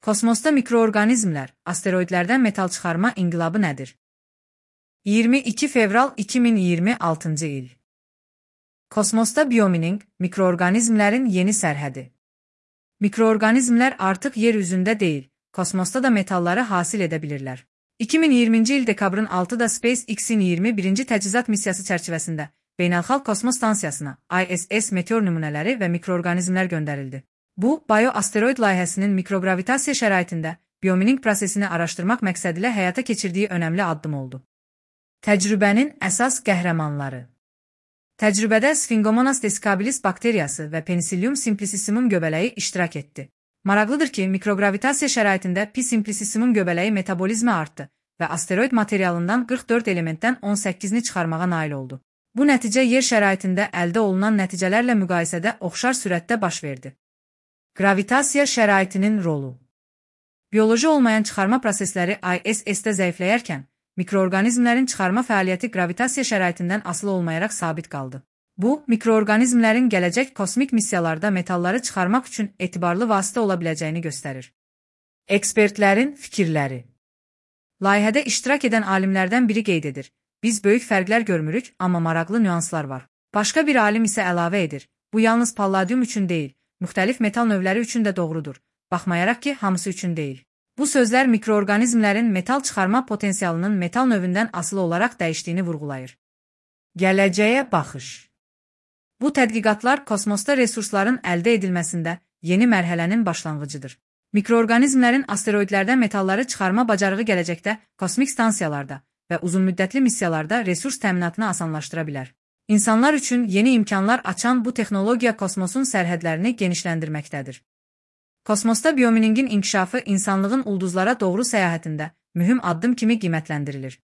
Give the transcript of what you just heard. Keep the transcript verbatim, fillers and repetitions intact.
Kosmosda mikroorqanizmlər, asteroidlərdən metal çıxarma inqilabı nədir? iyirmi iki fevral iki min iyirmi altıncı il. Kosmosda biomining, mikroorqanizmlərin yeni sərhədi. Mikroorqanizmlər artıq yer üzündə deyil, kosmosda da metalları hasil edə bilirlər. iki min iyirminci il dekabrın altıda SpaceX-in iyirmi birinci təchizat missiyası çərçivəsində Beynəlxalq Kosmos Stansiyasına I S S meteor nümunələri və mikroorqanizmlər göndərildi. Bu, bioasteroid layihəsinin mikrogravitasiya şəraitində biomining prosesini araşdırmaq məqsədilə həyata keçirdiyi önəmli addım oldu. Təcrübənin əsas qəhrəmanları. Təcrübədə Sphingomonas desicabilis bakteriyası və Penicillium simplicissimum göbələyi iştirak etdi. Maraqlıdır ki, mikrogravitasiya şəraitində P. simplicissimum göbələyi metabolizmi artdı və asteroid materialından qırx dörd elementdən on səkkizini çıxarmağa nail oldu. Bu nəticə yer şəraitində əldə olunan nəticələrlə müqayisədə oxşar sürətdə baş verdi. Gravitasiya şəraitinin rolu. Bioloji olmayan çıxarma prosesləri I S S-də zəifləyərkən, mikroorqanizmlərin çıxarma fəaliyyəti gravitasiya şəraitindən asılı olmayaraq sabit qaldı. Bu, mikroorqanizmlərin gələcək kosmik missiyalarda metalları çıxarmaq üçün etibarlı vasitə ola biləcəyini göstərir. Ekspertlərin fikirləri. Layihədə iştirak edən alimlərdən biri qeyd edir. Biz böyük fərqlər görmürük, amma maraqlı nüanslar var. Başqa bir alim isə əlavə edir. Bu yalnız palladium üçün deyil, müxtəlif metal növləri üçün də doğrudur. Baxmayaraq ki, hamısı üçün deyil. Bu sözlər mikroorqanizmlərin metal çıxarma potensialının metal növündən asılı olaraq dəyişdiyini vurğulayır. Gələcəyə baxış. Bu tədqiqatlar kosmosda resursların əldə edilməsində yeni mərhələnin başlanğıcıdır. Mikroorqanizmlərin asteroidlərdən metalları çıxarma bacarığı gələcəkdə kosmik stansiyalarda və uzunmüddətli missiyalarda resurs təminatını asanlaşdıra bilər. İnsanlar üçün yeni imkanlar açan bu texnologiya kosmosun sərhədlərini genişləndirməkdədir. Kosmosda biominingin inkişafı insanlığın ulduzlara doğru səyahətində mühüm addım kimi qiymətləndirilir.